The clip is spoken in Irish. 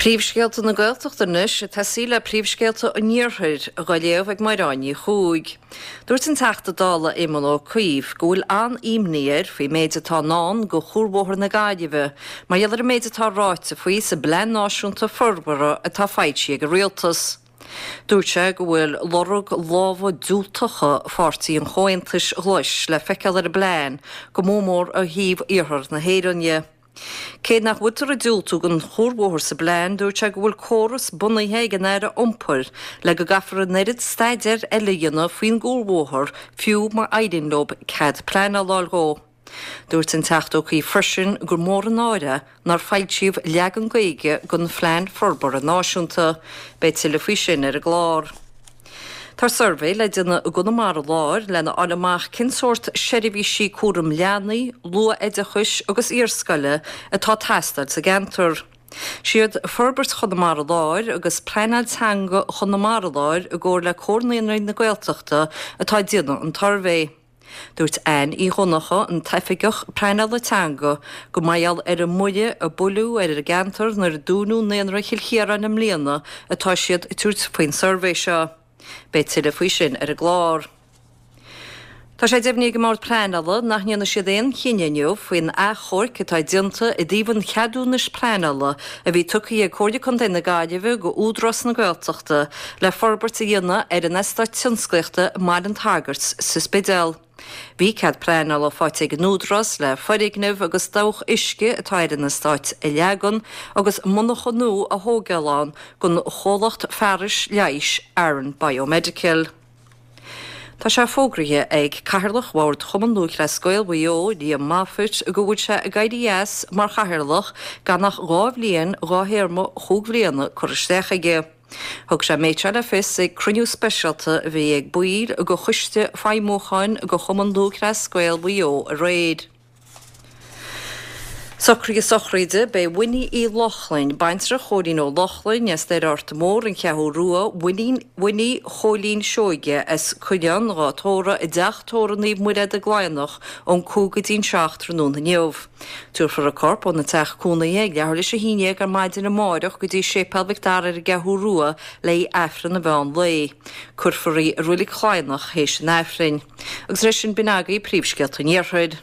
Príomhscéalta na Gaeltachta anois, ag tosaí le príomhscéalta an Iarthair, dhá léamh ag Mairéad Ní Chuaig. Dúirt an Teachta Dála Éamon Ó Cuív go bhfuil an-imní air faoin méid atá i ndán do Chuarbhóthar na Gaillimhe mar gheall ar an méid atá ráite faoi sa bPlean Náisiúnta Forbartha atá foilsithe ag an Rialtas. Dúirt sé go bhfuil lorg lámha diúltacha Pháirtí an Chomhaontais Ghlais le feiceáil ar an bplean, go mór mór ó thaobh iarthar na hÉireann dhe. Cé nach bhfuiltear ag diúltú don chuarbhóthar sa bplean, dúirt sé go bhfuil córas bunaithe ag an Aire Iompair le go gcaithfear an oiread staidéir eile a dhéanamh faoin gcuarbhóthar fiú má éiríonn leo cead pleanála a fháil dhó. Dúirt an Teachta Ó Cuív freisin gur mór an náire é nár foilsíodh leagan Gaeilge den Phlean Forbartha Náisiúnta. Beidh tuilleadh faoi sin ar an gclár. Tá suirbhé le déanamh i gConamara Láir lena fháil amach cén sórt seirbhísí cúram leanaí, luath-oideachais agus iarscoile atá ag teastáil sa gceantar. Siad Forbairt Chonamara Láir agus Pleanáil Teanga Chonamara Láir i gcomhar le Comhar Naíonraí na Gaeltachta atá ag déanamh an tsuirbhé. Dúirt Anne Uí Dhonnchadha, an tOifigeach Pleanála Teanga, gur mar gheall ar an mbuille a buaileadh ar an gceantar nuair a dúnadh Naíonra Chill Chiaráin i mbliana atá siad ag tabhairt faoin suirbhé seo. Beidh tuilleadh faoi sin ar an gclár. Tá sé deimhnithe ag an mBord Pleanála nach ndéanfaidh siad aon chinneadh inniu faoin achomharc atá déanta i dtaobh an cheadúnais pleanála a bhí tugtha ag Comhairle Contae na Gaillimhe go Údarás na Gaeltachta le forbairt a dhéanamh ar an eastát tionsclaíochta i mBaile an tSagairt sa Spidéal. Bhí cead pleanála faighte ag an Údarás le foirgneamh agus dabhach uisce atá ar an eastát a leagan agus monarcha nua a thógáil ann don chomhlacht fearais leighis Aran Biomedical. Tá sé fógraithe ag Cathaoirleach Bhord Chumann Lúthchleas Gael Mhaigh Eo, Liam Moffitt, go bhfuil sé ag éirí as mar chathaoirleach gan ach 2 bhliain dá théarma chúig bhliana curtha isteach aige. Thug sé an méid seo le fios ag cruinniú speisialta a bhí ag baill de Choiste Feidhmiúcháin de Chumann Lúthchleas Gael Mhaigh Eo aréir. Socruithe sochraide, Beidh Winnie Uí Lochlainn, baintreach Chóilín Ó Lochlainn as Doire Arta Mór, An Cheathrú Rua, Winnie, Winnie Chóilín Seoige as Coileán dhá tórramh i dTeach Tórraimh Naomh Muire i gCladhnach ón 5 go dtí'n 7 tráthnóna inniu. Tabharfar a corp óna teach cónaithe ag leathuair théis 11 ar maidin amáireach go dtí Séipéal Mhic Dara ar an gCeathrú Rua le haghaidh Aifreann an mheán lae. Cuirfear í i Reilig Chladhnach théis an Aifrinn. Agus leis sin b'in agaibh príomhscéalta an Iarthair.